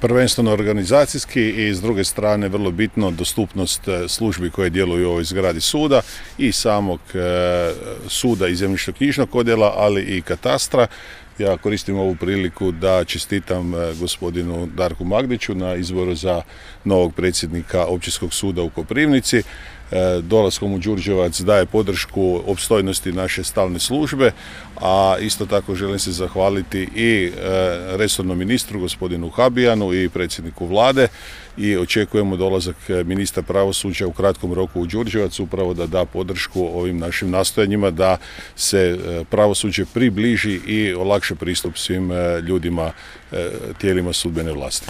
prvenstveno organizacijski i s druge strane vrlo bitno dostupnost službi koje djeluju u ovoj zgradi suda i samog suda i zemljišno-knjižnog odjela, ali i katastra. Ja koristim ovu priliku da čestitam gospodinu Darku Magdiću na izboru za novog predsjednika Općinskog suda u Koprivnici. Dolaskom u Đurđevac daje podršku opstojnosti naše stalne službe, a isto tako želim se zahvaliti i resornom ministru gospodinu Habijanu i predsjedniku Vlade i očekujemo dolazak ministra pravosuđa u kratkom roku u Đurđevac upravo da da podršku ovim našim nastojanjima da se pravosuđe približi i olakša pristup svim ljudima, tijelima sudbene vlasti.